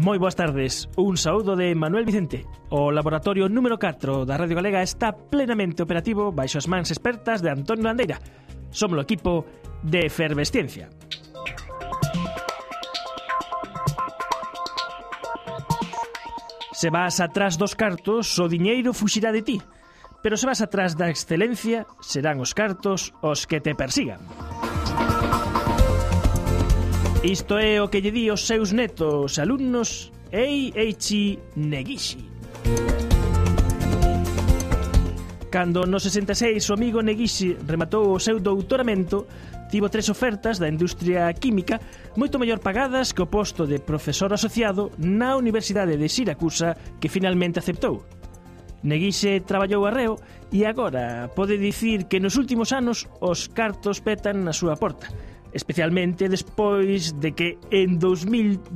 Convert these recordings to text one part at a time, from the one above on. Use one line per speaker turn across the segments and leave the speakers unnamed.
Moi boas tardes, un saúdo de Manuel Vicente. O laboratorio número 4 da Radio Galega está plenamente operativo baixo as mans expertas de Antonio Landeira. Somos o equipo de Efervesciencia. Se vas atrás dos cartos, o diñeiro fuxirá de ti. Pero se vas atrás da excelencia, serán os cartos os que te persigan. Isto é o que lle di os seus netos alumnos Eiichi Negishi. Cando no 66 o amigo Negishi rematou o seu doutoramento, tivo 3 ofertas da industria química moito mellor pagadas que o posto de profesor asociado na Universidade de Siracusa, que finalmente aceptou. Negishi traballou arreo e agora pode dicir que nos últimos anos os cartos petan na súa porta, especialmente despois de que en 2010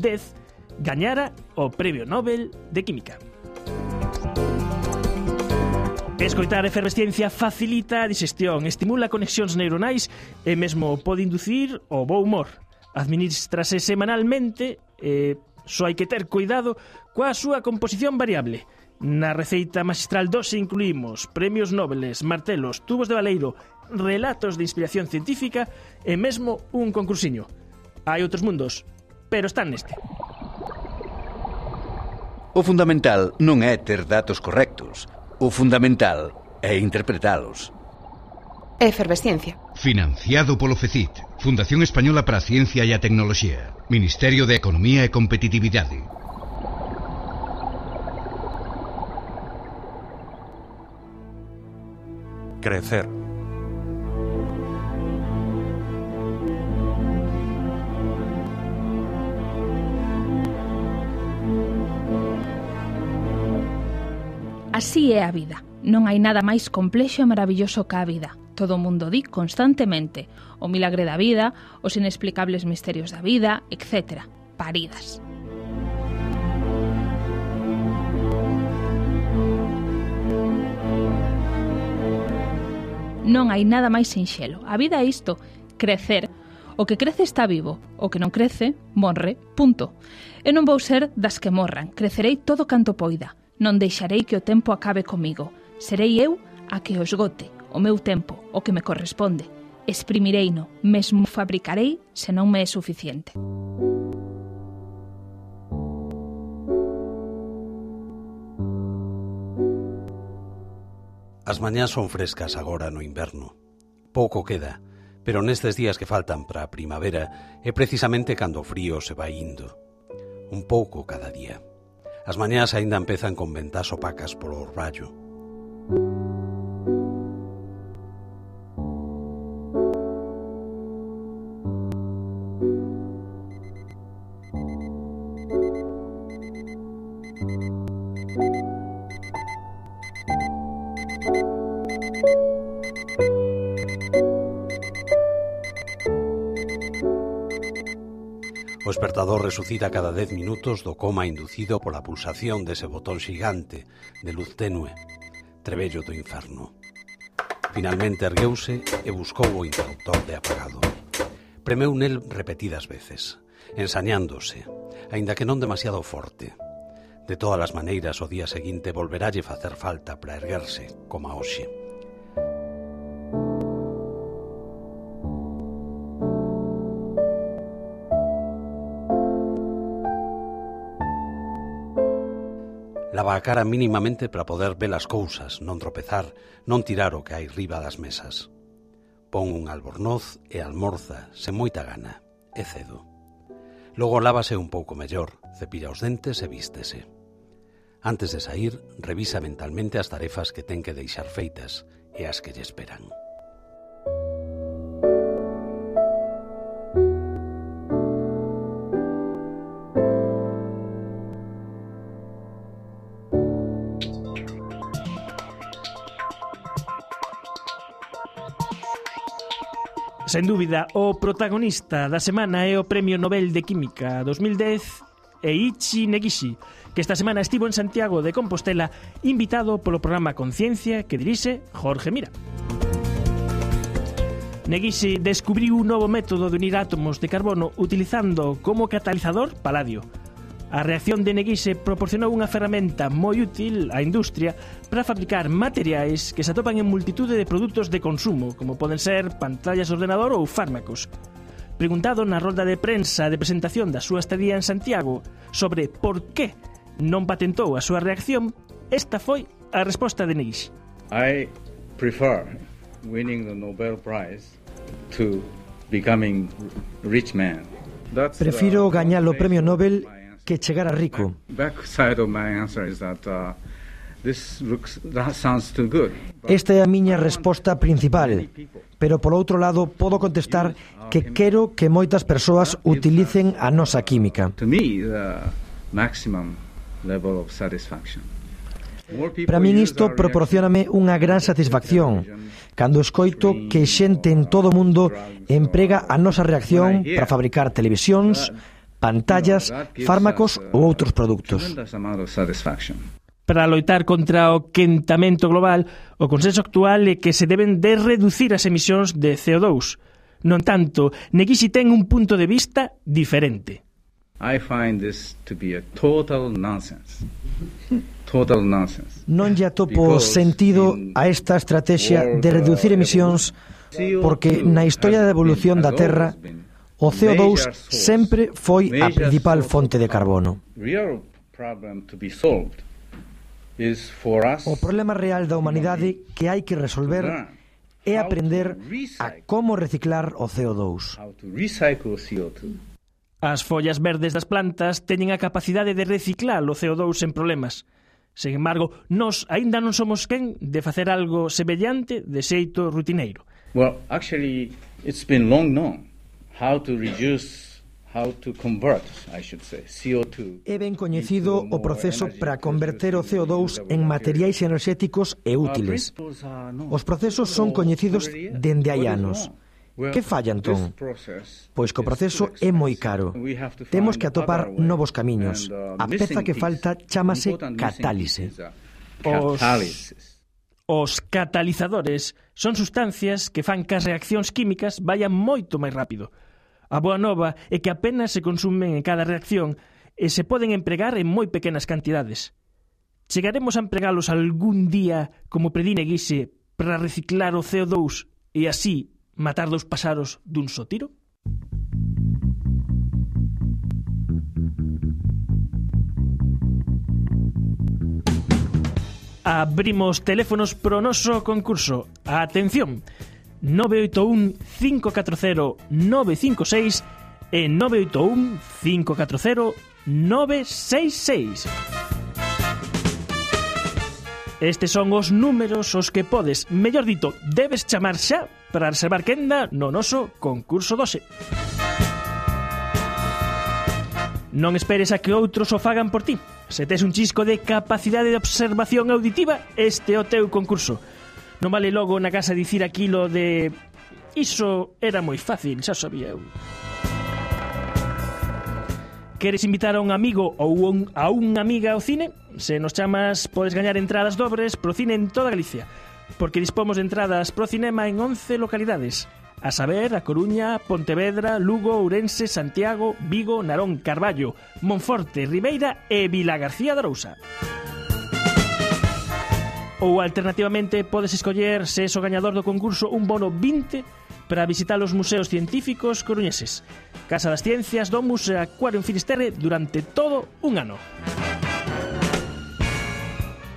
gañara o Premio Nobel de Química. Escoitar Efervesciencia facilita a digestión, estimula conexións neuronais e mesmo pode inducir o bo humor. Administrase semanalmente e só hai que ter cuidado coa súa composición variable. Na receita magistral 12 incluímos premios Nobeles, martelos, tubos de baleiro, relatos de inspiración científica e mesmo un concursiño. Hai outros mundos, pero están neste.
O fundamental non é ter datos correctos. O fundamental é interpretalos.
Efervesciencia.
Financiado polo FECIT, Fundación Española para a Ciencia e a Tecnoloxía, Ministerio de Economía e Competitividade.
Crecer.
Así é a vida. Non hai nada máis complexo e maravilloso que a vida. Todo o mundo di constantemente o milagre da vida, os inexplicables misterios da vida, etc. Paridas. Non hai nada máis sinxelo. A vida é isto, crecer. O que crece está vivo, o que non crece, morre, punto. E non vou ser das que morran, crecerei todo canto poida. Non deixarei que o tempo acabe comigo. Serei eu a que o esgote, o meu tempo, o que me corresponde. Exprimireino, mesmo fabricarei se non me é suficiente.
As mañás son frescas agora no inverno. Pouco queda, pero nestes días que faltan para a primavera é precisamente cando o frío se vai indo. Un pouco cada día. As mañás aínda empezan con ventás opacas polo orballo. O espertador resucita cada 10 minutos do coma inducido pola pulsación dese botón xigante de luz tenue, trebello do inferno. Finalmente ergueuse e buscou o interruptor de apagado. Premeu nel repetidas veces, ensañándose, aínda que non demasiado forte. De todas as maneiras, o día seguinte volveralle facer falta para erguerse, como a hoxe. Lava a cara mínimamente para poder ver as cousas, non tropezar, non tirar o que hai riba das mesas. Pon un albornoz e almorza, sen moita gana, e cedo. Logo lávase un pouco mellor, cepilla os dentes e vístese. Antes de sair, revisa mentalmente as tarefas que ten que deixar feitas e as que lle esperan.
Sen dúbida, o protagonista da semana é o Premio Nobel de Química 2010 Eiichi Negishi, que esta semana estivo en Santiago de Compostela invitado polo programa Conciencia que dirixe Jorge Mira. Negishi descubriu un novo método de unir átomos de carbono utilizando como catalizador paladio. A reacción de Neguise proporcionou unha ferramenta moi útil á industria para fabricar materiais que se atopan en multitude de produtos de consumo, como poden ser pantallas de ordenador ou fármacos. Preguntado na rolda de prensa de presentación da súa estadía en Santiago sobre por que non patentou a súa reacción, esta foi a resposta de Neguise.
I prefer winning the Nobel Prize to becoming rich man.
Prefiro gañar o premio Nobel que chegar a rico. Esta é a miña resposta principal, pero por outro lado podo contestar que quero que moitas persoas utilicen a nosa química. Para min isto proporcióname unha gran satisfacción cando escoito que xente en todo o mundo emprega a nosa reacción para fabricar televisións, pantallas, fármacos ou outros produtos.
Para loitar contra o quentamento global, o consenso actual é que se deben de reducir as emisións de CO2. Non tanto, Neguise ten un punto de vista diferente.
I find this to be a total nonsense. Total nonsense.
Non lle atopo sentido a esta estrategia de reducir emisións porque na historia da evolución da Terra o CO2 sempre foi a principal fonte de carbono. O problema real da humanidade que hai que resolver é aprender a como reciclar o CO2.
As follas verdes das plantas teñen a capacidade de reciclar o CO2 sen problemas. Sen embargo, nós aínda non somos quen de facer algo semellante de xeito rutineiro.
Well, actually, it's been long known how to convert, I should say, CO2.
É ben coñecido o proceso para converter o CO2 en materiais enerxéticos e útiles. Os procesos son coñecidos dende hai anos. Que falla, entón? Pois que o proceso é moi caro. Temos que atopar novos camiños. A peza que falta chámase catálise.
Os catalizadores son sustancias que fan que as reaccións químicas vayan moito máis rápido. A boa nova é que apenas se consumen en cada reacción e se poden empregar en moi pequenas cantidades. Chegaremos a empregalos algún día, como predí Neguise, para reciclar o CO2 e así matar dous paxaros dun só tiro? Abrimos teléfonos pro noso concurso. Atención, 981 540 956 e 981 540 966. Estes son os números os que podes, mellor dito, debes chamar xa para reservar quenda no noso concurso doce. Non esperes a que outros o fagan por ti. Se tes un chisco de capacidade de observación auditiva, este é o teu concurso. Non vale logo na casa dicir aquilo de iso era moi fácil, xa sabía eu. Queres invitar a un amigo ou a unha amiga ao cine? Se nos chamas, podes gañar entradas dobres pro cine en toda Galicia, porque dispomos de entradas pro cinema en 11 localidades, a saber, A Coruña, Pontevedra, Lugo, Ourense, Santiago, Vigo, Narón, Carballo, Monforte, Ribeira e Vilagarcía de Arousa. Ou alternativamente podes escoller, se és o gañador do concurso, un bono 20 para visitar os museos científicos coruñeses, Casa das Ciencias, Domus e Acuario en Finisterre durante todo un ano.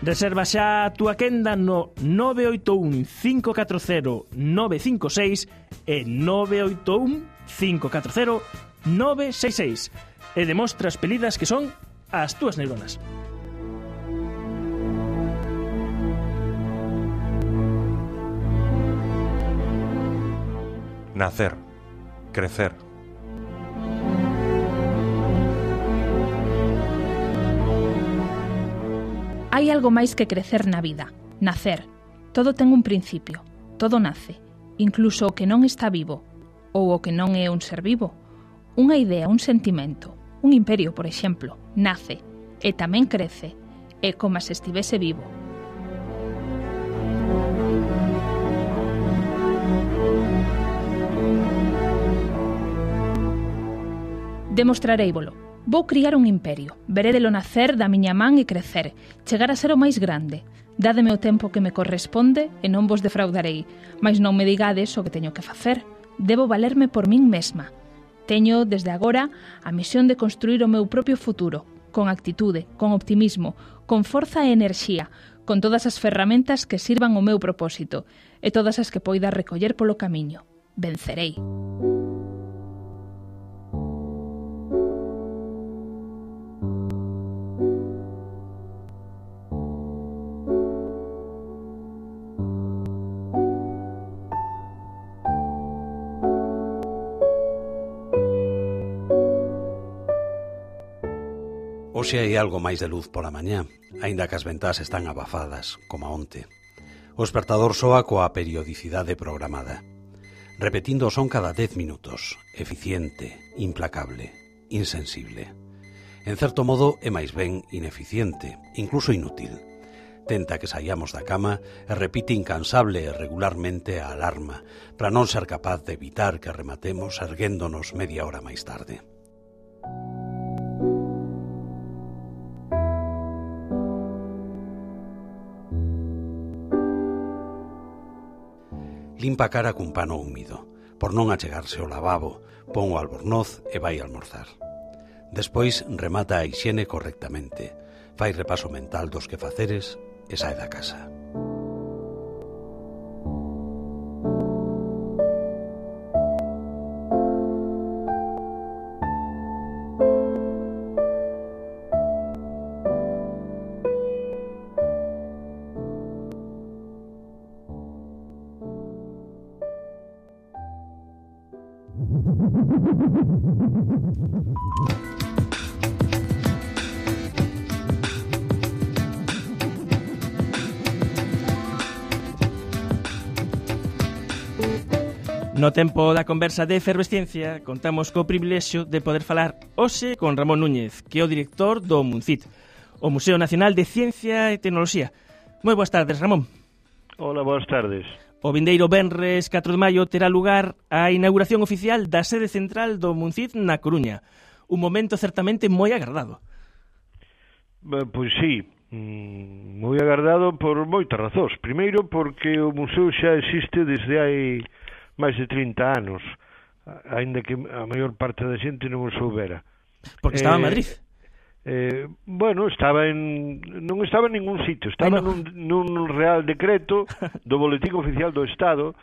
Reserva xa a túa quenda no 981 540 956 e 981 540 966 e demostra as pelidas que son as túas neuronas.
Nacer, crecer.
Hai algo máis que crecer na vida, nacer. Todo ten un principio, todo nace, incluso o que non está vivo, ou o que non é un ser vivo. Unha idea, un sentimento, un imperio, por exemplo, nace e tamén crece, é como se estivese vivo. Demostrareívolo. Vou criar un imperio, verédelo nacer da miña man e crecer, chegar a ser o máis grande. Dádeme o tempo que me corresponde e non vos defraudarei, mas non me digades o que teño que facer. Debo valerme por min mesma. Teño, desde agora, a misión de construir o meu propio futuro, con actitude, con optimismo, con forza e enerxía, con todas as ferramentas que sirvan o meu propósito e todas as que poida recoller polo camiño. Vencerei.
Hoxe hai algo máis de luz pola mañá, aínda que as ventás están abafadas, como onte. O espertador soa coa periodicidade programada, repetindo o son cada 10 minutos, eficiente, implacable, insensible. En certo modo é máis ben ineficiente, incluso inútil. Tenta que saiamos da cama e repite incansable e regularmente a alarma para non ser capaz de evitar que rematemos erguéndonos media hora máis tarde. Limpa a cara cun pano húmido. Por non achegarse ao lavabo, pon o albornoz e vai almorzar. Despois remata a hixiene correctamente. Fai repaso mental dos quefaceres e sae da casa.
No tempo da conversa de Efervesciencia, contamos co privilexio de poder falar hoxe con Ramón Núñez, que é o director do MUNCIT, o Museo Nacional de Ciencia e Tecnoloxía. Moi boas tardes, Ramón.
Hola, boas tardes.
O vindeiro venres 4 de maio terá lugar a inauguración oficial da sede central do MUNCIT na Coruña. Un momento certamente moi agardado.
Pois sí, moi agardado por moitas razóns. Primeiro, porque o museo xa existe desde hai máis de 30 anos, aínda que a maior parte da xente non o soubera.
Porque estaba en Madrid.
Bueno, non estaba en ningún sitio, estaba nun real decreto do Boletín Oficial do Estado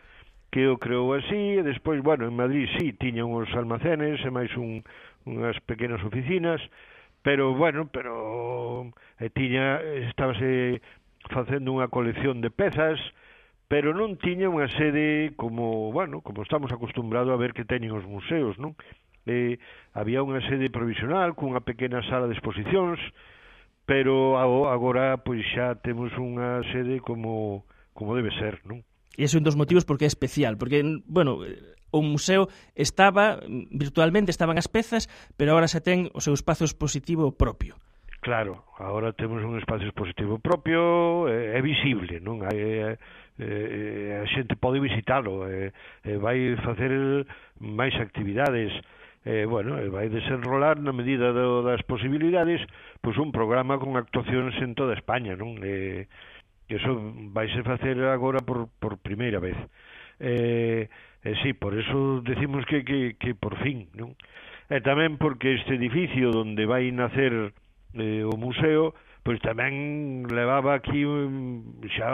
que o creou así, e despois, bueno, en Madrid sí, tiña uns almacenes e máis unhas pequenas oficinas, pero estábase facendo unha colección de pezas, pero non tiña unha sede como estamos acostumbrados a ver que teñen os museos, non? Había unha sede provisional cunha pequena sala de exposicións, pero agora pois xa temos unha sede como debe ser, non?
E ese é un dos motivos porque é especial, porque, bueno, o museo virtualmente estaban as pezas, pero agora xa ten o seu espazo expositivo propio.
Claro, agora temos un espacio expositivo propio, é visible, non? A xente pode visitalo, vai facer máis actividades, vai desenrolar na medida das posibilidades pois un programa con actuacións en toda España, non? Eso vaise facer agora por primeira vez. Sí, por eso decimos que por fin, non? E tamén porque este edificio onde vai nacer o museo pois tamén levaba aquí xa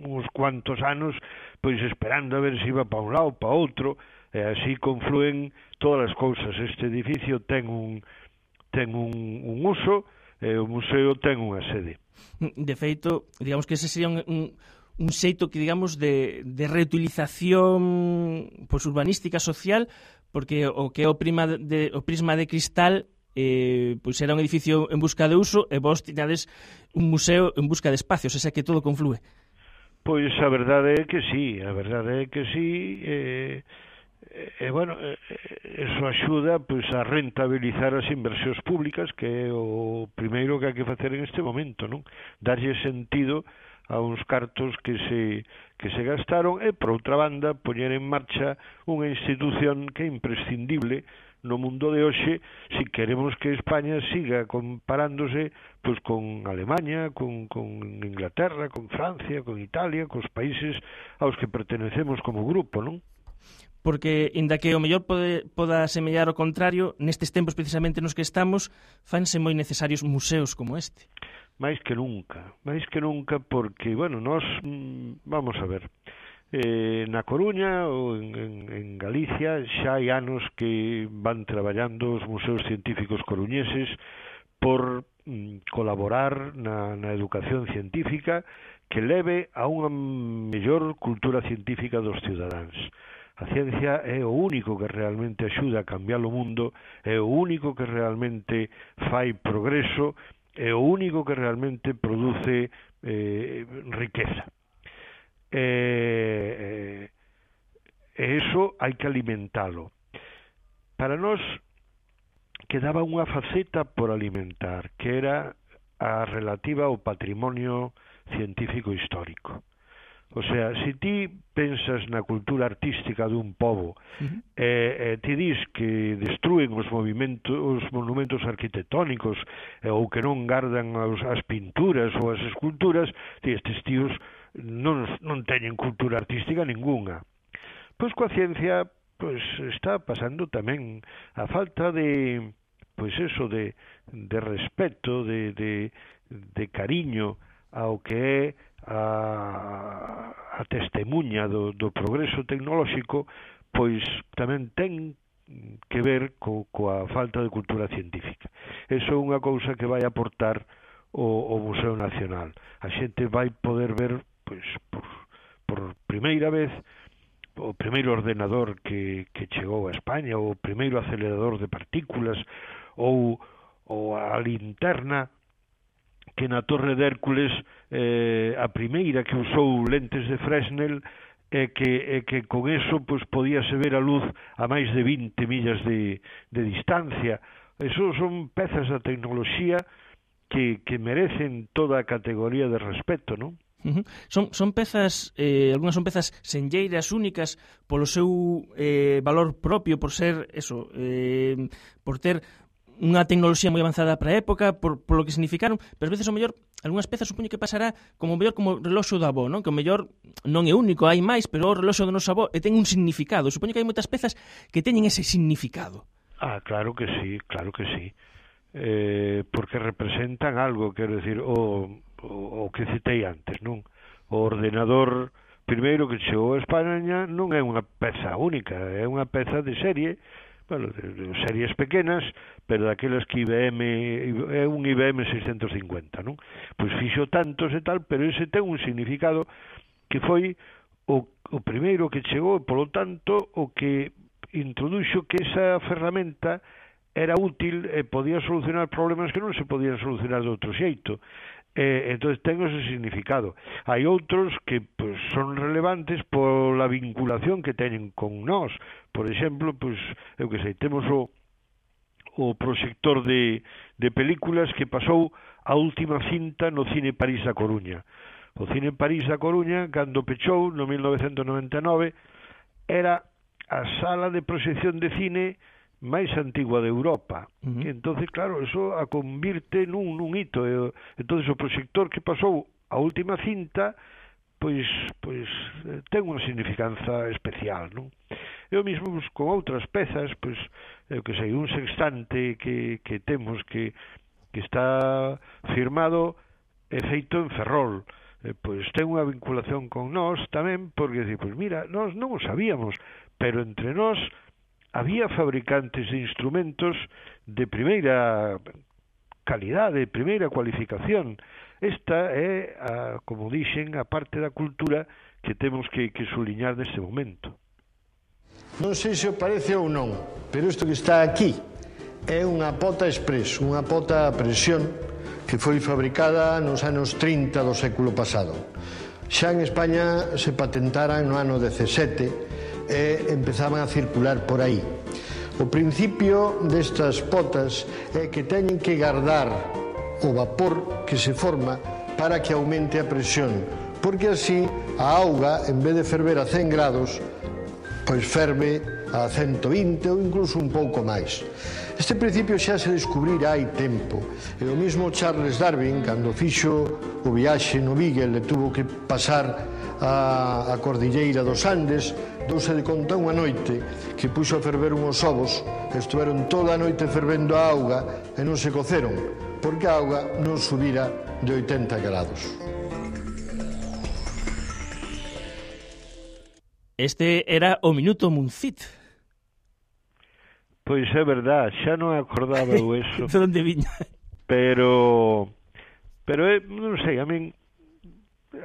uns cuantos anos pois esperando a ver se iba para un lado, para outro, e así confluen todas as cousas. Este edificio ten un uso e o museo ten unha sede.
De feito, digamos que ese sería un xeito que, digamos, de reutilización pois urbanística social, porque o que é o prisma de cristal pois era un edificio en busca de uso e vos tiñades un museo en busca de espacios, esa que todo conflúe.
Pois a verdade é que sí, eso axuda pois a rentabilizar as inversións públicas, que é o primeiro que hai que facer en este momento, non? Darlle sentido a uns cartos que se gastaron e, por outra banda, poñer en marcha unha institución que é imprescindible no mundo de hoxe se queremos que España siga comparándose pois con Alemania, con Inglaterra, con Francia, con Italia, cos países aos que pertenecemos como grupo, non?
Porque, inda que o mellor poda semellar o contrario, nestes tempos precisamente nos que estamos, fanse moi necesarios museos como este.
máis que nunca, porque, bueno, nós, vamos a ver, na Coruña ou en Galicia xa hai anos que van traballando os museos científicos coruñeses por colaborar na educación científica que leve a unha mellor cultura científica dos cidadáns. A ciencia é o único que realmente axuda a cambiar o mundo, é o único que realmente fai progreso, é o único que realmente produce riqueza. E iso hai que alimentalo. Para nós quedaba unha faceta por alimentar, que era a relativa ao patrimonio científico histórico. O sea, se ti pensas na cultura artística dun pobo e ti dis que destruen os monumentos arquitectónicos ou que non gardan as pinturas ou as esculturas, estes tíos non teñen cultura artística ningunha. Pois coa ciencia está pasando tamén a falta de respeto, de cariño ao que é a testemuña do progreso tecnolóxico, pois tamén ten que ver coa falta de cultura científica. Eso é unha cousa que vai aportar o Museo Nacional. A xente vai poder ver, pois, por primeira vez, o primeiro ordenador que chegou a España, o primeiro acelerador de partículas, ou a linterna que na Torre de Hércules a primeira que usou lentes de Fresnel e que con eso pois podíase ver a luz a máis de 20 millas de distancia. Eso son pezas da tecnoloxía que merecen toda a categoría de respeto, non?
Son pezas, algunhas son pezas senlleiras, únicas polo seu valor propio, por ser eso, por ter unha tecnoloxía moi avanzada para a época, por lo que significaron, pero ás veces o mellor algunhas pezas supoño que pasará como mellor como o reloxo do avó, non? Que o mellor non é único, hai máis, pero o reloxo do noso avó ten un significado. Supoño que hai moitas pezas que teñen ese significado.
Claro que sí. Porque representan algo, quero decir, o que citei antes, non? O ordenador primeiro que chegou a España non é unha peza única, é unha peza de serie, bueno, de series pequenas, pero daquelas que IBM é un IBM 650, non? Pois fixo tantos e tal, pero ese ten un significado que foi o primeiro que chegou e, polo tanto, o que introduxo que esa ferramenta era útil e podía solucionar problemas que non se podían solucionar de outro xeito. Entón ten ese significado. Hai outros que pues, son relevantes pola vinculación que teñen con nós. Por exemplo, pues, eu que sei, temos o proxector de películas que pasou a última cinta no Cine París da Coruña. O Cine París da Coruña, cando pechou no 1999, era a sala de proxección de cine máis antigua de Europa. Entonces, claro, eso a convirte nun hito. Entonces, o proxector que pasou a última cinta, pois ten unha significanza especial, non? Eu mesmo, pues, con outras pezas, pois, eu que sei, un sextante que temos que está firmado e feito en Ferrol, pois ten unha vinculación con nós tamén, porque, pois mira, nós non o sabíamos, pero entre nós había fabricantes de instrumentos de primeira calidade, de primeira cualificación. Esta é, como dixen, a parte da cultura que temos que suliñar neste momento.
Non sei se o parece ou non, pero isto que está aquí é unha pota express, unha pota a presión que foi fabricada nos anos 30 do século pasado. Xa en España se patentaran no ano 17 e empezaban a circular por aí. O principio destas potas é que teñen que guardar o vapor que se forma para que aumente a presión, porque así a auga, en vez de ferver a 100 grados, pois ferve a 120 ou incluso un pouco máis. Este principio xa se descubrira hai tempo, e o mesmo Charles Darwin, cando fixo o viaxe no Beagle e tuvo que pasar a cordilleira dos Andes, douse de conta unha noite que puxo a ferver unhos ovos, estuveron toda a noite fervendo a auga e non se coceron, porque a auga non subira de 80 grados.
Este era o Minuto Muncit.
Pois é verdad, xa non acordaba eu eso.
De onde viña?
Pero non sei, a min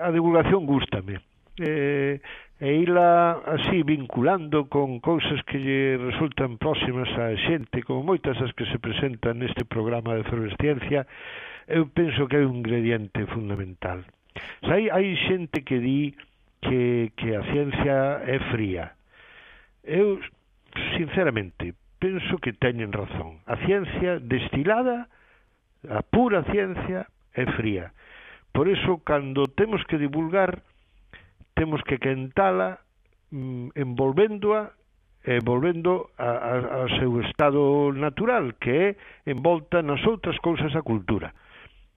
a divulgación gústame. E ila así vinculando con cousas que lle resultan próximas á xente, como moitas as que se presentan neste programa de Efervesciencia, eu penso que é un ingrediente fundamental. Hai xente que di que a ciencia é fría. Eu, sinceramente, penso que teñen razón. A ciencia destilada, a pura ciencia, é fría. Por iso, cando temos que divulgar, temos que quentala envolvéndoa e volvendo ao seu estado natural, que é envolta nas outras cousas da cultura.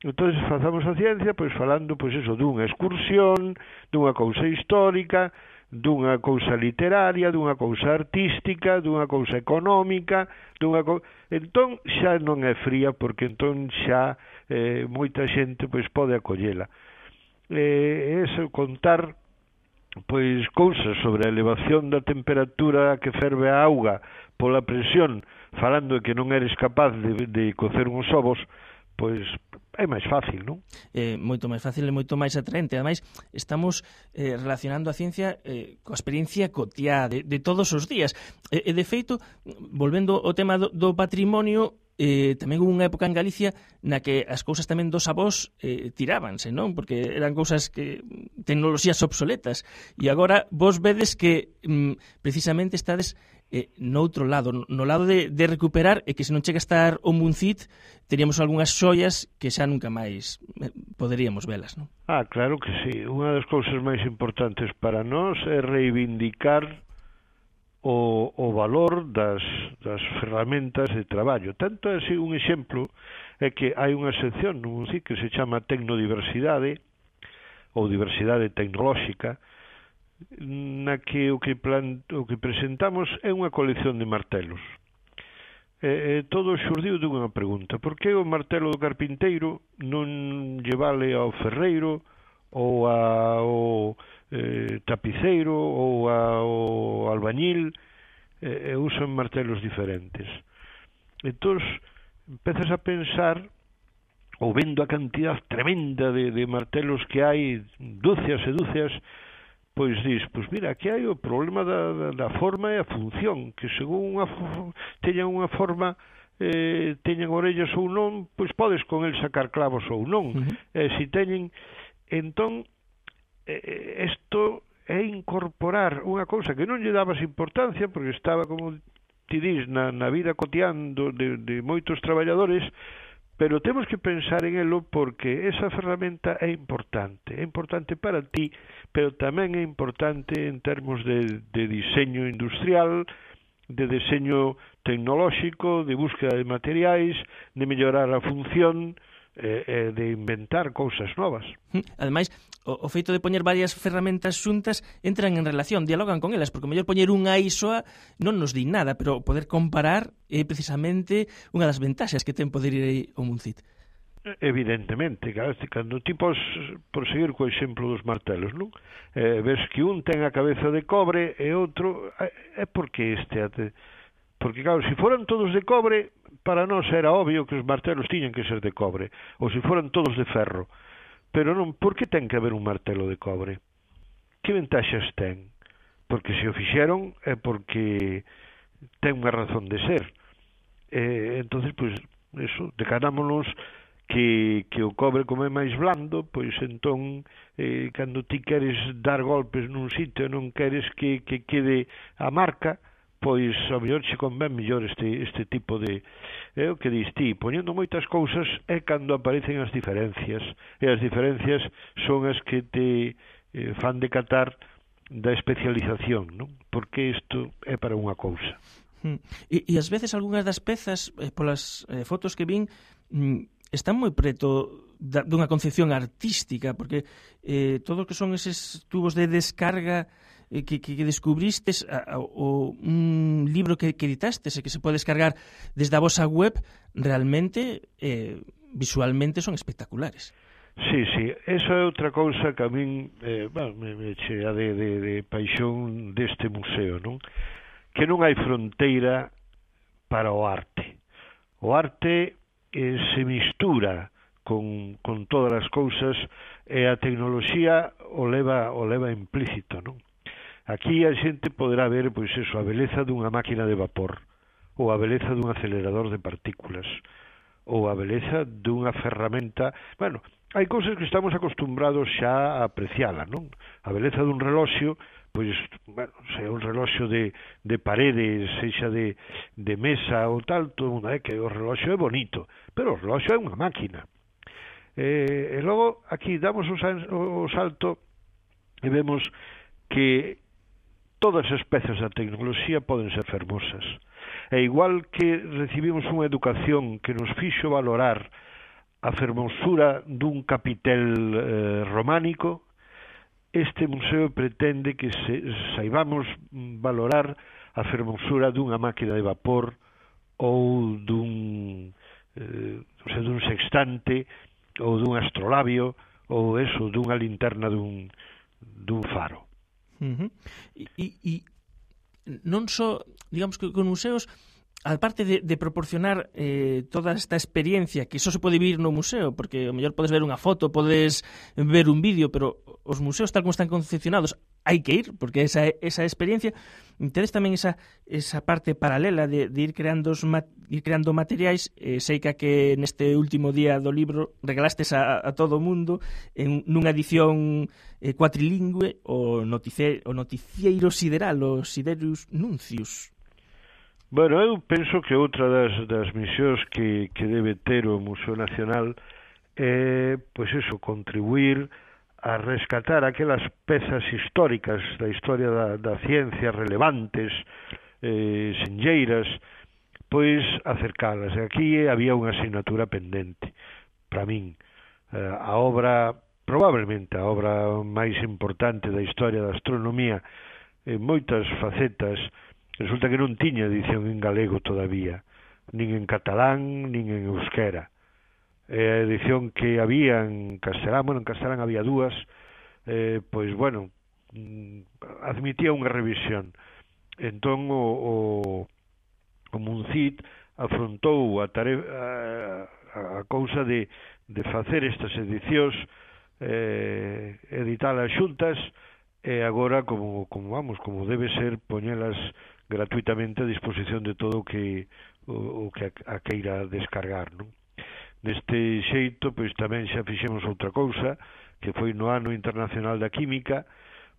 Entón, facamos a ciencia, pois falando, pois eso, dunha excursión, dunha cousa histórica, dunha cousa literaria, dunha cousa artística, dunha cousa económica, entón xa non é fría, porque entón xa moita xente pois pode acollela. Eso, contar pois cousas sobre a elevación da temperatura que ferve a auga pola presión, falando de que non eres capaz de cocer uns ovos, pois é máis fácil, non?
Moito máis fácil e moito máis atraente. Ademais, estamos relacionando a ciencia coa experiencia cotiá de todos os días. E de feito, volvendo ao tema do patrimonio, tamén hubo unha época en Galicia na que as cousas tamén dos avós tirábanse, non? Porque eran cousas que tecnoloxías obsoletas. E agora vos vedes que precisamente estades noutro lado, no lado de recuperar, e que se non chega a estar o Muncit, teríamos algunhas xoias que xa nunca máis poderíamos velas, non?
Claro que sí. Unha das cousas máis importantes para nós é reivindicar o valor das ferramentas de traballo. Tanto así, un exemplo é que hai unha sección no Muncit que se chama Tecnodiversidade ou Diversidade Tecnolóxica, na que o que presentamos é unha colección de martelos. Todo xurdiu dunha pregunta: por que o martelo do carpinteiro non lle vale ao ferreiro ou ao tapiceiro ou ao albañil? Usan martelos diferentes. Entón, empezas a pensar, ou vendo a cantidad tremenda de martelos que hai, dúcias e dúcias, pois dis, pois mira, aquí hai o problema da forma e a función, que según teñan unha forma, teñan orellas ou non, pois podes con el sacar clavos ou non. Se teñen, entón, isto é incorporar unha cousa que non lle dabas importancia, porque estaba, como ti dis, na vida cotián de moitos traballadores, pero temos que pensar en elo porque esa ferramenta é importante para ti, pero tamén é importante en termos de diseño industrial, de diseño tecnolóxico, de búsqueda de materiais, de mellorar a función, de inventar cousas novas.
Ademais, o feito de poñer varias ferramentas xuntas entran en relación, dialogan con elas, porque o mellor poñer unha isoa non nos di nada, pero poder comparar é precisamente unha das ventaxas que ten poder ir ao Muncit.
Evidentemente, cando ti por seguir co exemplo dos martelos, non? Ves que un ten a cabeza de cobre e outro é porque porque claro, se foran todos de cobre, para nós era obvio que os martelos tiñan que ser de cobre, ou se foran todos de ferro. Pero non, por que ten que haber un martelo de cobre? Que ventaxas ten? Porque se o fixeron é porque ten unha razón de ser. Entonces, pois, eso, decanámonos que o cobre, como é máis blando, pois entón, cando ti queres dar golpes nun sitio e non queres que quede a marca, pois ao mellor che convén mellor este tipo de... o que dis ti, poñendo moitas cousas é cando aparecen as diferencias, e as diferencias son as que te fan decatar especialización, non? Porque isto é para unha cousa.
E ás veces algunhas das pezas, polas fotos que vin, están moi preto dunha concepción artística, porque todo o que son eses tubos de descarga que descubristes, o un libro que editastes e que se pode descargar desde a vosa web, realmente, visualmente son espectaculares.
Sí, esa é outra cousa que a min me chea de paixón deste museo, non? Que non hai fronteira para o arte. O arte se mistura con todas as cousas e a tecnoloxía o leva implícito, non? Aquí a xente poderá ver, pois eso, a beleza dunha máquina de vapor, ou a beleza dun acelerador de partículas, ou a beleza dunha ferramenta. Bueno, hai cousas que estamos acostumbrados xa a apreciala, non? A beleza dun reloxo, pois, bueno, se é un reloxo de paredes, sexa de mesa ou tal, todo mundo é que o reloxo é bonito, pero o reloxo é unha máquina. E logo, aquí damos o salto e vemos que todas as pezas da tecnoloxía poden ser fermosas. E igual que recibimos unha educación que nos fixo valorar a fermosura dun capitel románico, este museo pretende que saibamos valorar a fermosura dunha máquina de vapor ou dun sextante ou dun astrolabio ou eso, dunha linterna dun faro.
E non só, digamos que con museos, aparte de proporcionar toda esta experiencia que só se pode vivir no museo, porque ao mellor podes ver unha foto, podes ver un vídeo, pero os museos tal como están concepcionados hai que ir, porque esa experiencia, tedes tamén esa parte paralela de ir creando materiais. Sei que neste último día do libro regalastes a todo o mundo nunha edición cuatrilingüe o noticieiro sideral, o Siderus Nuncius.
Bueno, eu penso que outra das misións que debe ter o Museo Nacional é, pois eso, contribuir a rescatar aquelas pezas históricas da historia da ciencia relevantes, senlleiras, pois acercalas. E aquí había unha asignatura pendente para min. A obra, probablemente a obra máis importante da historia da astronomía en moitas facetas, resulta que non tiña edición en galego todavía, nin en catalán, nin en euskera. A edición que había en castelán, bueno, en castelán había dúas, pois, bueno, admitía unha revisión. Entón, o Muncit afrontou a cousa de facer estas edicións, editalas xuntas, e agora, como debe ser, poñelas gratuitamente a disposición de todo o que a queira descargar, non? Neste xeito, pois tamén xa fixemos outra cousa, que foi no Ano Internacional da Química,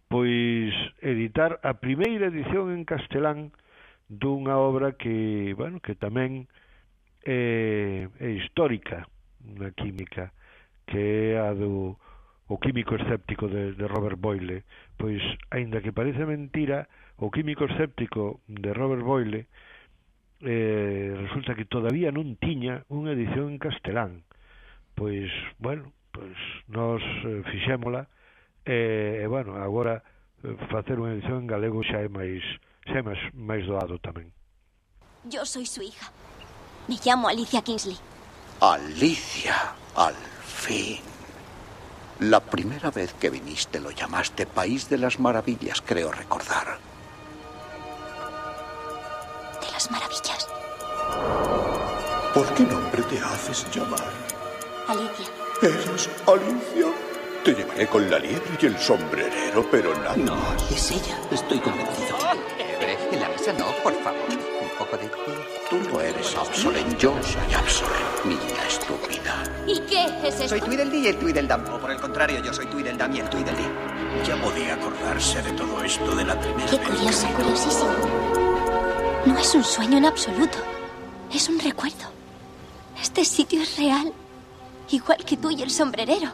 pois editar a primeira edición en castelán dunha obra que, bueno, que tamén é histórica na química, que é a do O químico escéptico de Robert Boyle. Pois, aínda que parece mentira, o químico escéptico de Robert Boyle resulta que todavía non tiña unha edición en castelán. Pois, bueno, nós fixémola, e, bueno, agora facer unha edición en galego xa é máis doado tamén.
Yo soy su hija. Me llamo Alicia Kingsley.
Alicia, al fin. La primera vez que viniste lo llamaste País de las Maravillas, creo recordar.
¿De las Maravillas?
¿Por qué nombre te haces llamar?
Alicia.
¿Eres Alicia? Te llevaré con la liebre y el sombrerero, pero nada.
No, es ella. Estoy convencido.
Liebre, en la mesa no, por favor. Un poco de té. Tú no eres Absolen, yo soy Absolen, niña estúpida.
¿Y qué es esto?
Soy Tweedledee y el Tweedledum. O por el contrario, yo soy Tweedledum y el Tweedledee.
Ya podía acordarse de todo esto de la primera
vez. Qué curioso, curiosísimo. No es un sueño en absoluto. Es un recuerdo. Este sitio es real. Igual que tú y el sombrerero.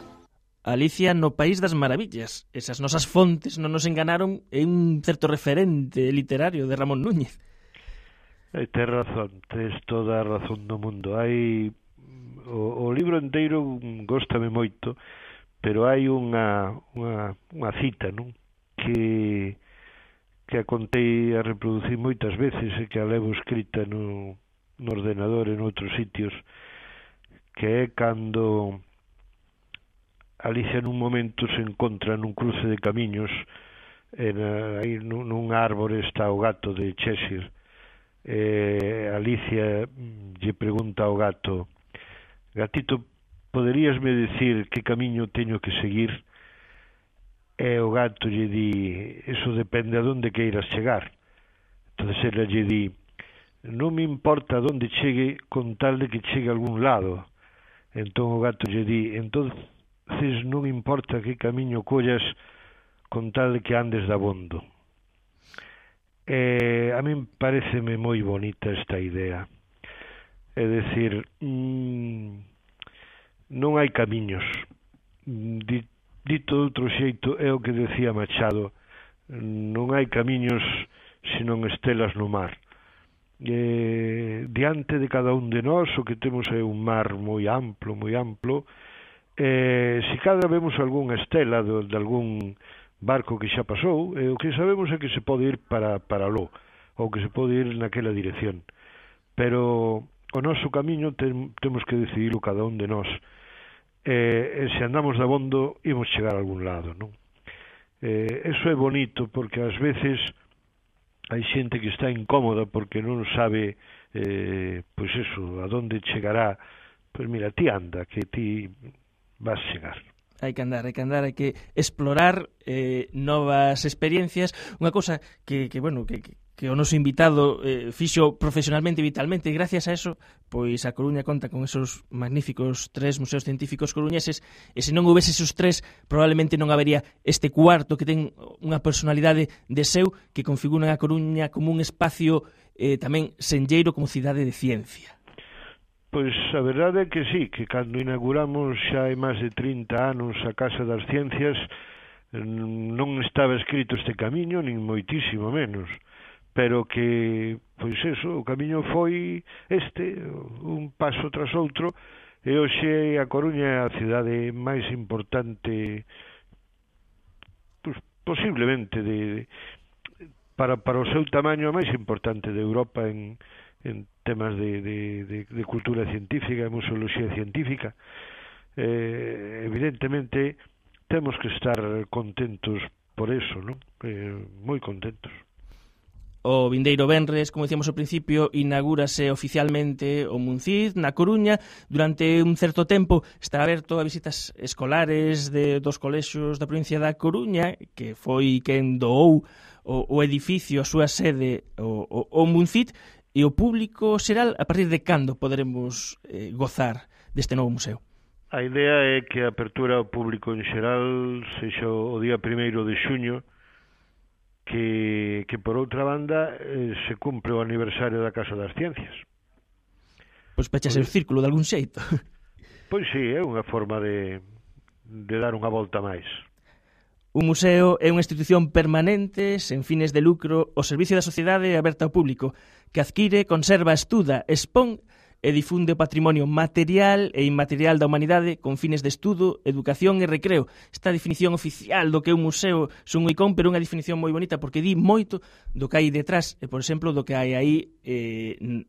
Alicia no País das Maravillas. Esas nosas fontes non nos enganaron, é un certo referente literario de Ramón Núñez.
Tes razón, tes toda a razón do mundo. Hai o libro inteiro góstame moito, pero hai unha cita, non? Que a contei a reproducir moitas veces e que a levo escrita no ordenador en outros sitios, que é cando Alicia nun momento se encontra nun cruce de camiños, aí nun árbore está o gato de Cheshire. Alicia lle pregunta ao gato: gatito, poderíasme decir que camiño teño que seguir? E o gato lle di: eso depende a donde queiras chegar. Entonces ela lle di: non me importa donde chegue con tal de que chegue a algún lado. Entón o gato lle di: entonces non importa que camiño collas con tal de que andes dabondo. A min pareceme moi bonita esta idea. É dicir, non hai camiños. Dito de outro xeito, é o que decía Machado: non hai camiños senón estelas no mar. Diante de cada un de nós o que temos é un mar moi amplo, se cada vemos algunha estela de algún barco que xa pasou, o que sabemos é que se pode ir para aló, ou que se pode ir naquela dirección, pero o noso camiño temos que decidirlo cada un de nós, e se andamos dabondo imos chegar a algún lado, non? Eso é bonito, porque ás veces hai xente que está incómoda porque non sabe pois eso, a donde chegará. Pois mira, ti anda, que ti vas chegar.
Hai que andar, hai que explorar novas experiencias. Unha cousa que o noso invitado fixo profesionalmente e vitalmente, e gracias a eso, pois a Coruña conta con esos magníficos 3 museos científicos coruñeses, e se non houvese esos 3, probablemente non habería este cuarto que ten unha personalidade de seu, que configuran a Coruña como un espacio tamén senlleiro como cidade de ciencia.
Pois a verdade é que sí, que cando inauguramos xa hai máis de 30 anos a Casa das Ciencias non estaba escrito este camiño, nin moitísimo menos, pero que, pois eso, o camiño foi un paso tras outro, e hoxe a Coruña é a cidade máis importante, pois, posiblemente, para o seu tamaño, a máis importante de Europa en temas de cultura científica, de museoloxía científica. Evidentemente temos que estar contentos por eso, non? Moi contentos.
O vindeiro venres, como dicíamos ao principio, inaugúrase oficialmente o MUNCID na Coruña. Durante un certo tempo está aberto a visitas escolares dos colexios da provincia da Coruña, que foi quen doou o edificio, a súa sede, o MUNCID. E o público xeral, a partir de cando poderemos gozar deste novo museo?
A idea é que a apertura ao público en xeral sexa o día 1º de xuño, que por outra banda se cumpre o aniversario da Casa das Ciencias.
Pois pechase o círculo de algún xeito.
Pois sí, é unha forma de dar unha volta máis.
Un museo é unha institución permanente, sen fines de lucro, ao servicio da sociedade aberta ao público, que adquire, conserva, estuda, expón e difunde o patrimonio material e inmaterial da humanidade con fines de estudo, educación e recreo. Esta definición oficial do que é un museo son un icón, pero unha definición moi bonita porque di moito do que hai detrás, e, por exemplo, do que hai aí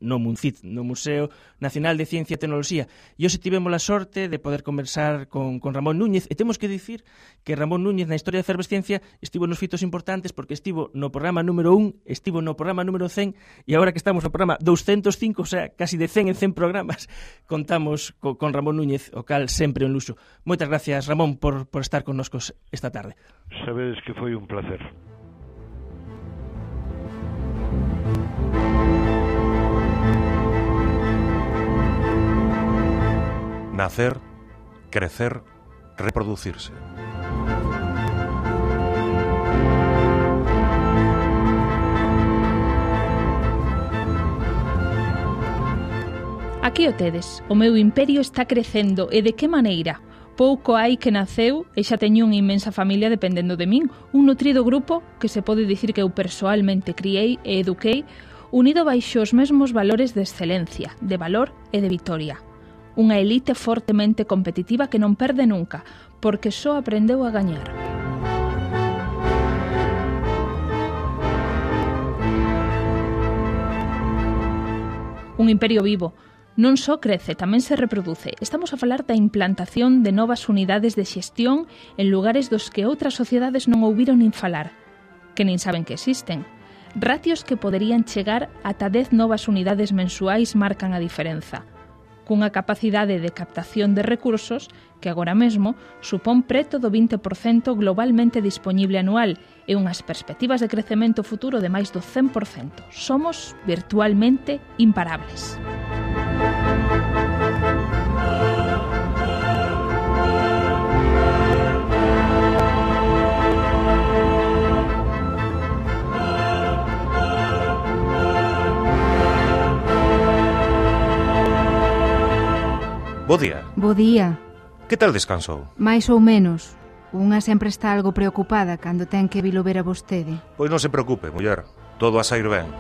no MUNCID, no Museo Nacional de Ciencia e Tecnoloxía. E hoxe tivemos a sorte de poder conversar con Ramón Núñez, e temos que dicir que Ramón Núñez na historia da efervesciencia estivo nos fitos importantes porque estivo no programa número 1, estivo no programa número 100, e agora que estamos no programa 205, o sea, casi de 100 en 100 programas, contamos con Ramón Núñez, o cal sempre un luxo. Moitas gracias, Ramón, por estar connosco esta tarde.
Sabedes que foi un placer.
Nacer, crecer, reproducirse.
Aquí o tedes, o meu imperio está crecendo, e de que maneira? Pouco hai que naceu e xa teño unha inmensa familia dependendo de min, un nutrido grupo que se pode dicir que eu persoalmente criei e eduquei, unido baixo os mesmos valores de excelencia, de valor e de vitoria. Unha elite fortemente competitiva que non perde nunca, porque só aprendeu a gañar. Un imperio vivo. Non só crece, tamén se reproduce. Estamos a falar da implantación de novas unidades de xestión en lugares dos que outras sociedades non ouviron nin falar, que nin saben que existen. Ratios que poderían chegar ata 10 novas unidades mensuais marcan a diferenza, cunha capacidade de captación de recursos que agora mesmo supón preto do 20% globalmente dispoñible anual e unhas perspectivas de crecemento futuro de máis do 100%. Somos virtualmente imparables.
Bo día.
Bo día.
Que tal descansou?
Mais ou menos. Unha sempre está algo preocupada cando ten que vilo ver a vostede.
Pois non se preocupe, muller. Todo a sair ben.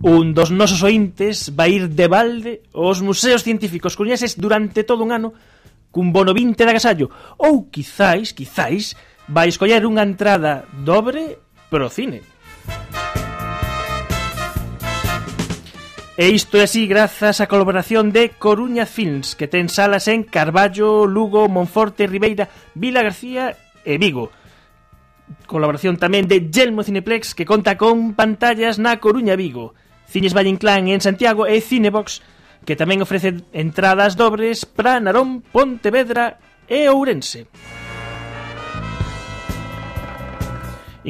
Un dos nosos ointes vai ir de balde aos museos científicos coruñeses durante todo un ano cun bono 20 de agasallo, ou quizáis, vai escoller unha entrada dobre pro cine. E isto é así grazas á colaboración de Coruña Films, que ten salas en Carballo, Lugo, Monforte, Ribeira, Vila García e Vigo. Colaboración tamén de Yelmo Cineplex, que conta con pantallas na Coruña e Vigo. Cines Valle Inclán en Santiago e Cinebox, que tamén ofrece entradas dobres para Narón, Pontevedra e Ourense.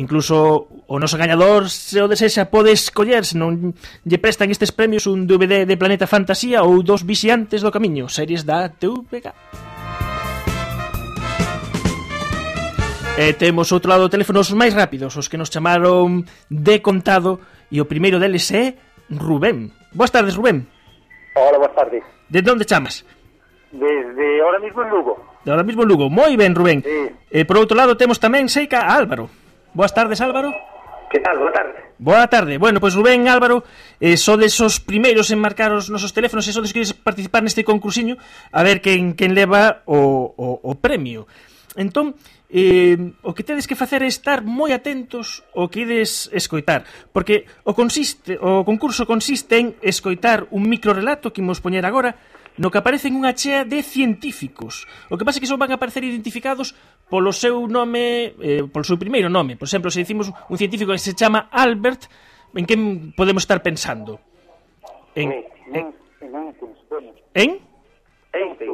Incluso o noso gañador, se o desexa, pode escoller, se non lle prestan estes premios, un DVD de Planeta Fantasía ou dos Vixiantes do Camiño, series da TVG. E temos outro lado teléfonos máis rápidos, os que nos chamaron de contado, e o primeiro deles é Rubén. Boas tardes, Rubén.
Hola, boas tardes.
De onde chamas?
Desde ahora mismo en Lugo.
De ahora mismo en Lugo. Moi ben, Rubén.
Sí.
Por outro lado temos tamén Seica a Álvaro. Boas tardes, Álvaro.
Que tal? Boa tarde.
Boa tarde. Bueno, pois Rubén e Álvaro sodes os primeiros en marcar os nosos teléfonos e sodes que participar neste concursiño a ver quen leva o premio. Entón, o que tedes que facer é estar moi atentos ao que ides escoitar, porque o concurso consiste en escoitar un microrelato que imos poñer agora, no que aparecen unha chea de científicos. O que pasa é que son van a aparecer identificados polo seu nome, polo seu primeiro nome. Por exemplo, se dicimos un científico que se chama Albert, en quen podemos estar pensando?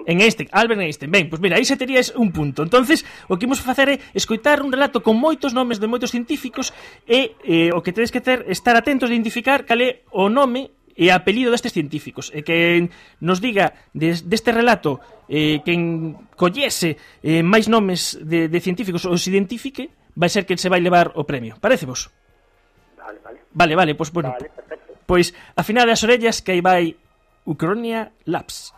En Einstein, Albert Einstein. Ben, pois mira, aí se terías un punto. Entonces, o que imos facer é escoitar un relato con moitos nomes de moitos científicos e o que tedes que ter estar atentos de identificar cal é o nome e apelido destes científicos. E que nos diga deste relato quen collese máis nomes de científicos ou se identifique, vai ser quen se vai levar o premio. Parece vos? Vale, pois bueno. Vale, pois afinade as orellas que aí vai Ucronia Labs.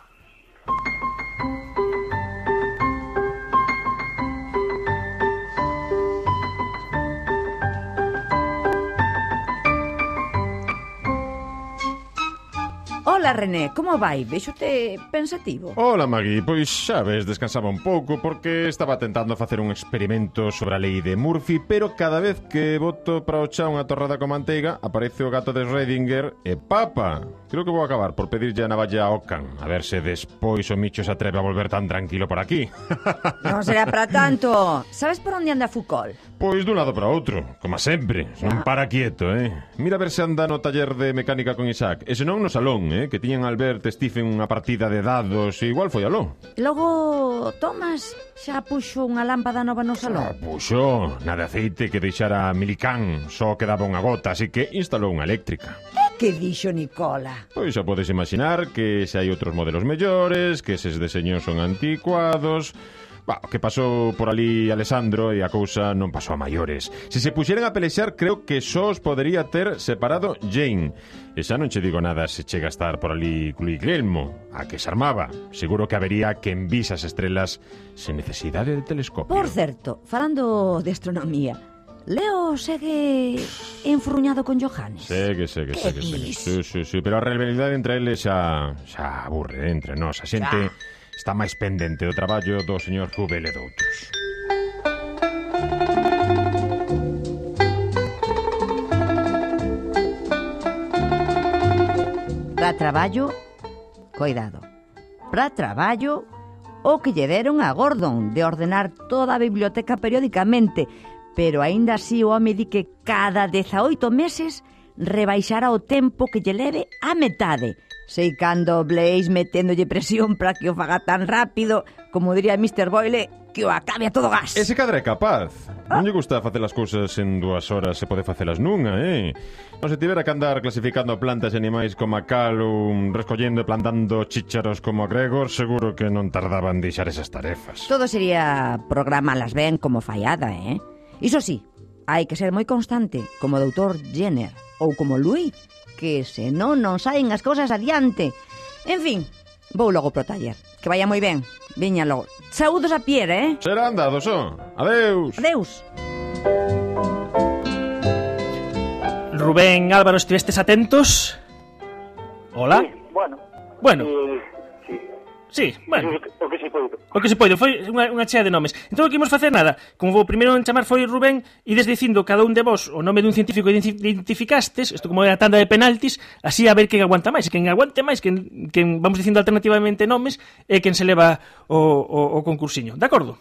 Ola, René, como vai? Véxote pensativo.
Ola, Magui, pois xa ves, descansaba un pouco porque estaba tentando facer un experimento sobre a lei de Murphy, pero cada vez que boto para o chá unha torrada con manteiga aparece o gato de Schrödinger e papa. Creo que vou acabar por pedirlle a navalla a Ocan, a ver se despois o Micho se atreve a volver tan tranquilo por aquí.
Non será para tanto. Sabes por onde anda Foucault?
Pois dun lado para outro, como sempre. Non para quieto, Mira a ver se anda no taller de mecánica con Isaac, e senón no salón, que tiñan Albert e Stephen unha partida de dados e igual foi aló.
Logo, Thomas xa puxo unha lámpada nova no salón.
Xa puxo, na de aceite que deixara Milicán, só quedaba unha gota, así que instalou unha eléctrica.
Que dixo Nicola?
Pois xa podes imaginar que se hai outros modelos mellores, que eses deseños son anticuados. O que pasou por ali Alessandro e a cousa non pasou a maiores. Se se puxeran a pelexar, creo que só os podería ter separado Jane. E xa non che digo nada se chega a estar por ali Guglielmo, a que se armaba. Seguro que habería quen vise as estrelas sen necesidade de telescopio.
Por certo, falando de astronomía, Leo segue enfurruñado con Johannes.
Segue. Sí, pero a rivalidade entre eles xa aburre entre nós. A xente está máis pendente do traballo do señor Hubel e doutros.
Para traballo, coidado. Para traballo, o que lle deron a Gordon de ordenar toda a biblioteca periódicamente, pero aínda así o home di que cada 18 meses rebaixará o tempo que lle leve a metade. Sei cando Blaze meténdolle presión para que o faga tan rápido, como diría Mr. Boyle, que o acabe a todo gas.
Ese cadra é capaz. Non lle gusta facer as cousas en 2 horas, se pode facelas nunha, Non se tivera que andar clasificando plantas e animais como a Callum, recollendo e plantando chícharos como a Gregor, seguro que non tardaban en deixar esas tarefas.
Todo sería programalas ben como fallada, Iso sí, hai que ser moi constante, como o doutor Jenner ou como Louis, que senón non saen as cousas adiante. En fin, vou logo pro taller. Que vaya moi ben. Viña logo. Saúdos a Pierre,
Será andado, son. Adeus.
Adeus.
Rubén, Álvaro, estivestes atentos? Hola?
Sí, bueno.
Sí, bueno.
O que se poido.
O que se poido, foi unha chea de nomes. Entón, o que imos facer nada. Como o primeiro en chamar foi Rubén, ides dicindo cada un de vos o nome dun científico que identificastes, isto como era a tanda de penaltis, así a ver quen aguanta máis. Quen aguante máis, quen vamos dicindo alternativamente nomes, e quen se leva o concursiño. De acordo?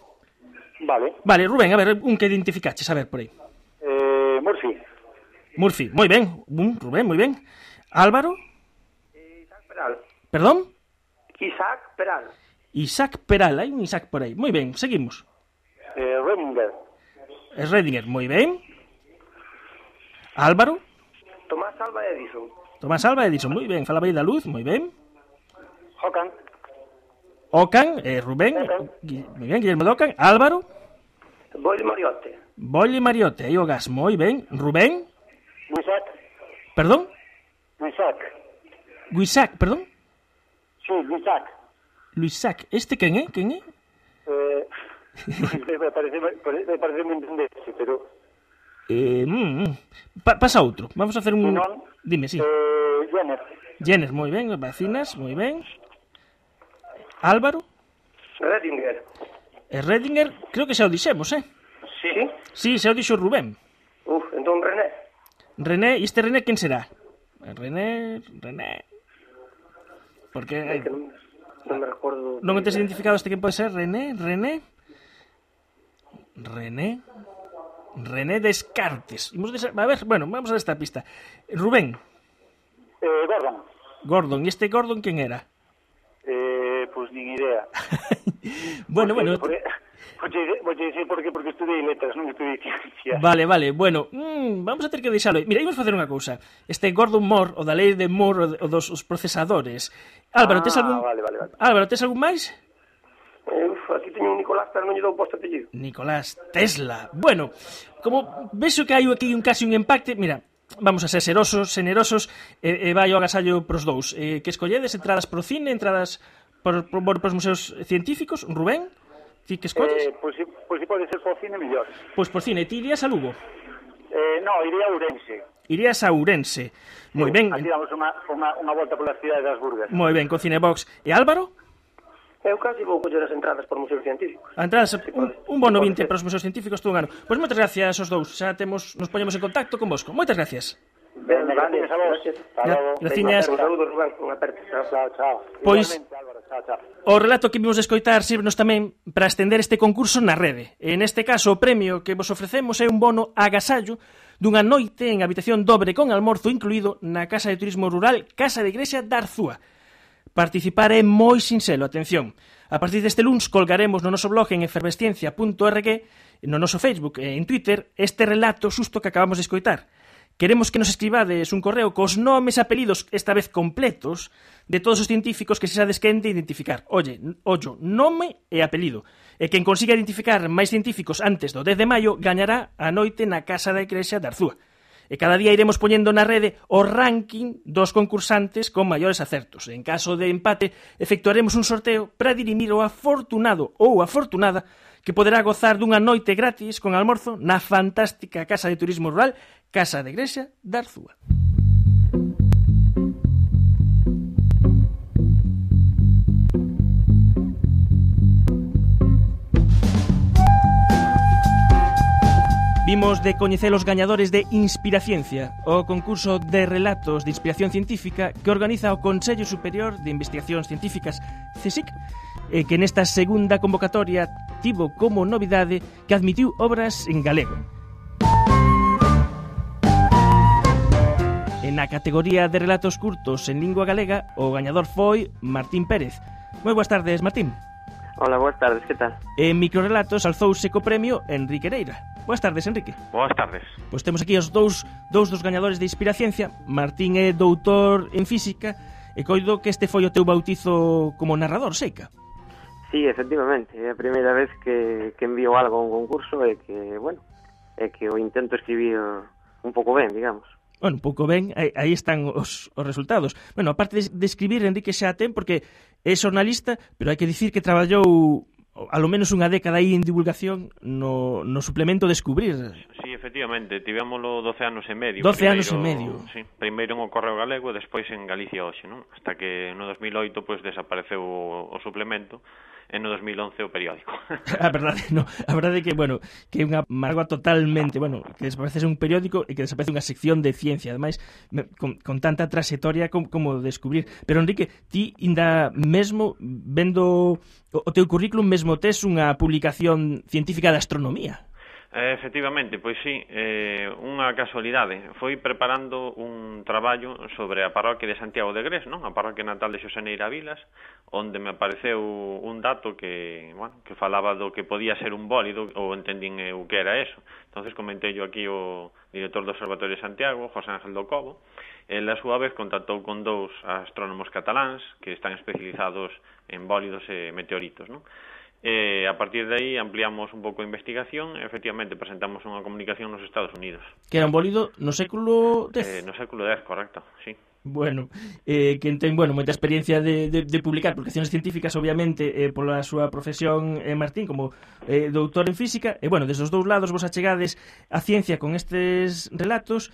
Vale, Rubén, a ver, un que identificaches, a ver, por aí. Murphy, moi ben. Rubén, moi ben. Álvaro?
Isaac Peral.
Perdón?
Isaac Peral,
hai un Isaac por aí. Moi ben, seguimos.
Redinger,
moi ben. Álvaro?
Tomás
Alva Edison, moi ben. Falaba aí da luz, moi ben.
Ocan,
Rubén, moi ben, Guillermo de Ocan. Álvaro?
Bolle
Mariotte, aí o gas, moi ben. Rubén? Perdón? Guisac, perdón?
Sí,
Luisac, este quen é?
Me parece moi entenderse, pero...
Pasa outro, vamos a hacer un... Dime, sí.
Jenner,
moi ben, vacinas, moi ben. Álvaro? Redinger, creo que xa o dixemos,
Sí?
Sí, xa o dixo Rubén.
Entón
René, e este René quen será? René... Porque...
Non me recordo...
Non tes identificado este quen pode ser? René Descartes. A ver, bueno, vamos a esta pista. Rubén. Gordon. E este Gordon quen era?
Pois nin idea.
Bueno...
Vou dicir porque estudei letras, non estudei ciencia.
Vale, bueno, vamos a ter que deixalo. Mira, imos facer unha cousa. Este Gordon Moore, o da lei de Moore, o dos procesadores. Álvaro, tes algún...
Vale.
Álvaro, tes algún máis?
Aquí teño un Nicolás, pero non lle dou posto apellido.
Nicolás Tesla. Bueno, como vexo que hai aquí casi un empate, mira, vamos a ser generosos, e vai o agasallo pros dous. Que escolledes? Entradas pro cine, entradas pros museos científicos? Rubén? Ti que escolles?
Pois se pode ser por cine, mellor.
Pois por cine, ti irías a Lugo?
Non, iría a Ourense.
Irías a Ourense. Moi ben.
Aquí damos unha volta pola cidade das Burgas.
Moi ben, con Cinebox. E Álvaro?
Eu casi vou coller as entradas por museos científicos.
Entradas, un bono 20 para os museos científicos todo un ano. Pois moitas gracias aos dous. Xa nos poñemos en contacto con vosco. Moitas gracias.
Gracias. Un saludo, Rubén. Un aperto. Chao.
Pois o relato que vimos escoitar sirvenos tamén para estender este concurso na rede. En este caso, o premio que vos ofrecemos é un bono agasallo dunha noite en habitación dobre con almorzo incluído na Casa de Turismo Rural Casa de Igrexa da Arzúa. Participar é moi sinxelo, atención. A partir deste luns colgaremos no noso blog en efervesciencia.org, no noso Facebook e en Twitter, este relato xusto que acabamos de escoitar. Queremos que nos escribades un correo cos nomes e apelidos, esta vez completos, de todos os científicos que se sabes quente identificar. Ollo, nome e apelido. E quen consiga identificar máis científicos antes do 10 de maio gañará a noite na Casa da Igrexa de Arzúa. E cada día iremos poñendo na rede o ranking dos concursantes con maiores acertos. En caso de empate, efectuaremos un sorteo para dirimir o afortunado ou afortunada que poderá gozar dunha noite gratis con almorzo na fantástica Casa de Turismo Rural Casa da Igrexa de Arzúa. Vimos de coñecer os gañadores de Inspiraciencia, o concurso de relatos de inspiración científica que organiza o Consello Superior de Investigacións Científicas, CSIC, que nesta segunda convocatoria tivo como novidade que admitiu obras en galego. En a categoría de relatos curtos en lingua galega, o gañador foi Martín Pérez. Moi boas tardes, Martín.
Hola, boas tardes, que tal?
En microrelatos alzouse co premio Enrique Neira. Boas tardes, Enrique.
Boas tardes.
Pois temos aquí os dous dos gañadores de Inspiraciencia. Martín é doutor en física e coido que este foi o teu bautizo como narrador, Seica.
Sí, efectivamente, é a primeira vez que envío algo a un concurso e que, bueno, é que o intento escribir un pouco ben, digamos.
Bueno, un pouco ben, aí están os resultados. Bueno, aparte de escribir, Enrique xa ten, porque é xornalista, pero hai que dicir que traballou alo menos unha década aí en divulgación no suplemento Descubrir.
Sí, efectivamente, tivémolo 12 anos e medio.
12 anos e medio.
Sí, primeiro en o Correo Galego e despois en Galicia Hoxe, non? Hasta que no 2008 pois desapareceu o suplemento e no 2011 o periódico.
A verdade é que, bueno, que é unha mágoa totalmente, bueno, que desaparece un periódico e que desaparece unha sección de ciencia, ademais, con tanta trayectoria como Descubrir. Pero, Enrique, ti ainda mesmo vendo o teu currículum mesmo tes unha publicación científica de astronomía.
Efectivamente, pois sí, unha casualidade. Foi preparando un traballo sobre a parroquia de Santiago de Grés, non? A parroquia natal de Xosé Neira Vilas, onde me apareceu un dato que, bueno, que falaba do que podía ser un bólido, ou entendín o que era eso. Entonces comentei yo aquí o director do Observatorio de Santiago, José Ángel do Cobo. El, a súa vez, contactou con dous astrónomos cataláns que están especializados en bólidos e meteoritos, non? A partir de aí ampliamos un pouco a investigación e efectivamente presentamos unha comunicación nos Estados Unidos.
Que era un bólido no século X?
No século X, correcto, sí.
Bueno, que ten, bueno, moita experiencia de publicar publicacións científicas, obviamente, pola súa profesión, Martín, como doutor en física, e, bueno, desde os dous lados vos achegades a ciencia con estes relatos.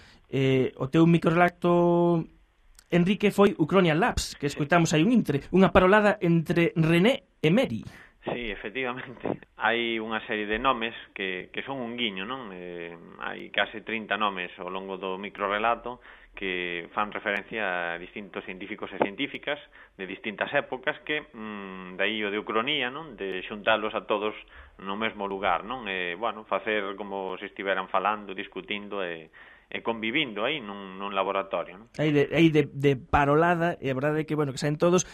O teu microrelato, Enrique, foi Ucronian Labs, que escoitamos aí un intre, unha parolada entre René e Mary.
Sí, efectivamente. Hai unha serie de nomes que son un guiño, non? Hai case 30 nomes ao longo do microrelato que fan referencia a distintos científicos e científicas de distintas épocas que, dai o de ucronía, non? De xuntalos a todos no mesmo lugar, non? Bueno, facer como se estiveran falando, discutindo e convivindo aí nun laboratorio, non?
Aí de parolada, e a verdade é que, bueno, que saen todos,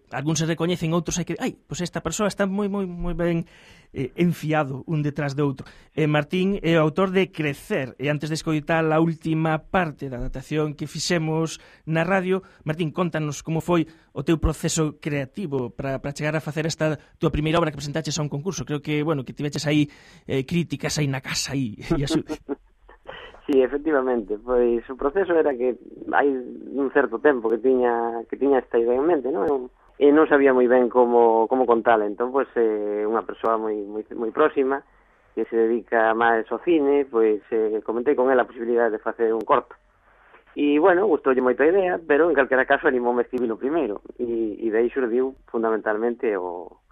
algúns se recoñecen, outros hai que... Pois esta persoa está moi ben enfiado un detrás de outro. Martín é o autor de Crecer, e antes de escoitar a última parte da adaptación que fixemos na radio, Martín, contanos como foi o teu proceso creativo para chegar a facer esta tua primeira obra que presentaches a un concurso. Creo que, bueno, que tiveches aí críticas aí na casa aí, e así...
Sí, efectivamente, pois o proceso era que hai un certo tempo que tiña esta idea en mente, non? E non sabía moi ben como contala, entón, pois, unha persoa moi próxima que se dedica máis ao cine, pois, comentei con ela a posibilidade de facer un corto. E, bueno, gustoulle moito a idea, pero, en calquera caso, animoume a escribilo primeiro, e de aí xurdiu fundamentalmente o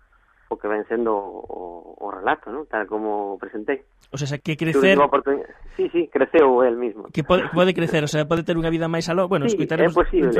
que ven sendo o relato, ¿no? Tal como presentei.
O sea, que crecer...
Sí, creceu el mismo.
Que pode crecer, o sea, pode ter unha vida máis aló. Bueno,
sí,
escoitaremos...
É posible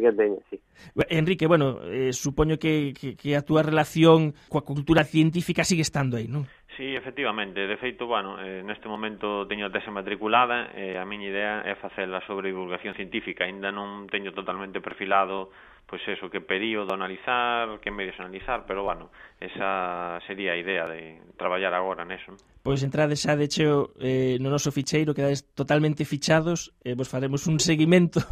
que teña, sí.
Enrique, bueno, supoño que a túa relación coa cultura científica sigue estando aí, non?
Sí, efectivamente. De feito, bueno, neste momento teño a tese matriculada e a miña idea é facela sobre divulgación científica. Ainda non teño totalmente perfilado pois eso, que período analizar, que medios analizar, pero, bueno, esa sería a idea de traballar agora neso.
Pois entrades xa de cheo no noso ficheiro, quedades totalmente fichados, e vos faremos un seguimento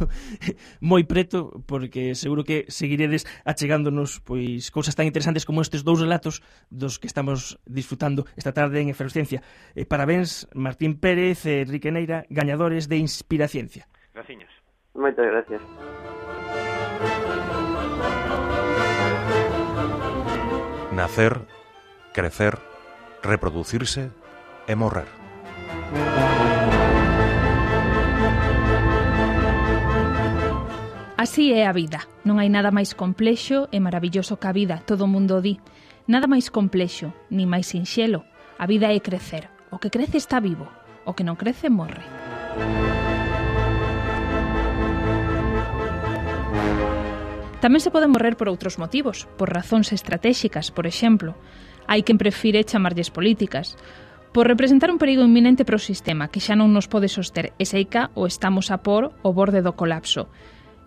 moi preto, porque seguro que seguiredes achegándonos pois cousas tan interesantes como estes dous relatos dos que estamos disfrutando esta tarde en Efervesciencia. Parabéns, Martín Pérez e Enrique Neira, gañadores de Inspiraciencia.
Graciñas.
Moitas gracias.
Nacer, crecer, reproducirse e morrer.
Así é a vida. Non hai nada máis complexo e maravilloso que a vida, todo o mundo o di. Nada máis complexo, ni máis sinxelo. A vida é crecer. O que crece está vivo. O que non crece morre. Tamén se pode morrer por outros motivos, por razóns estratéxicas, por exemplo. Hai quen prefire chamarlles políticas, por representar un perigo inminente para o sistema que xa non nos pode soster e seica ou estamos a por o borde do colapso.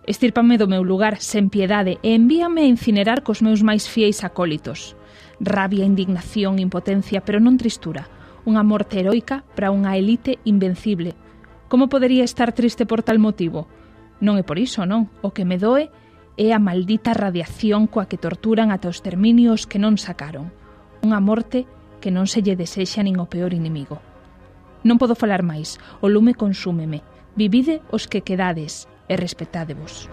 Estírpame do meu lugar sen piedade e envíame a incinerar cos meus máis fieis acólitos. Rabia, indignación, impotencia, pero non tristura. Unha morte heroica para unha elite invencible. Como podería estar triste por tal motivo? Non é por iso, non. O que me doe é a maldita radiación coa que torturan ata os terminios que non sacaron. Unha morte que non se lle desexa nin o peor inimigo. Non podo falar máis, o lume consúmeme. Vivide os que quedades e respetádevos.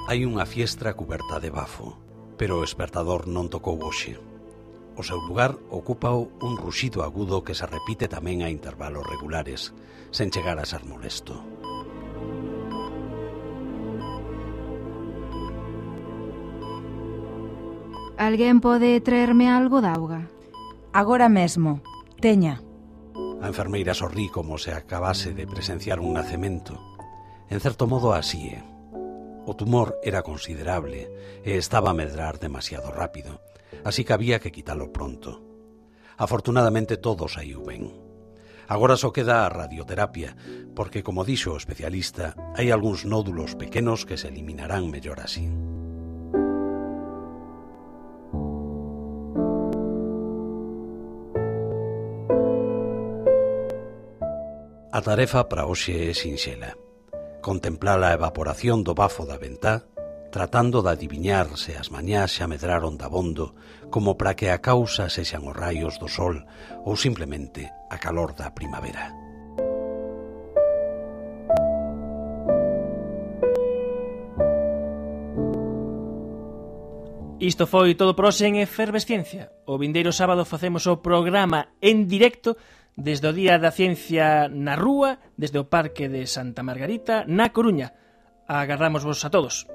Hai unha fiestra cuberta de bafo, pero o espertador non tocou hoxe. O seu lugar ocúpao un ruxido agudo que se repite tamén a intervalos regulares, sen chegar a ser molesto.
Alguén pode traerme algo de auga?
Agora mesmo. Teña.
A enfermeira sorrí como se acabase de presenciar un nacemento. En certo modo así é. O tumor era considerable e estaba a medrar demasiado rápido, así que había que quitalo pronto. Afortunadamente todo saiu ben. Agora só queda a radioterapia, porque, como dixo o especialista, hai algúns nódulos pequenos que se eliminarán mellor así. A tarefa para hoxe é sinxela. Contemplar a evaporación do bafo da ventá, tratando de adiviñar se as mañás xa medraron dabondo, como para que a causa sexan os raios do sol ou simplemente a calor da primavera.
Isto foi todo por hoxe en Efervesciencia. O vindeiro sábado facemos o programa en directo desde o Día da Ciencia na Rúa, desde o Parque de Santa Margarita, na Coruña. Agardamos vos a todos.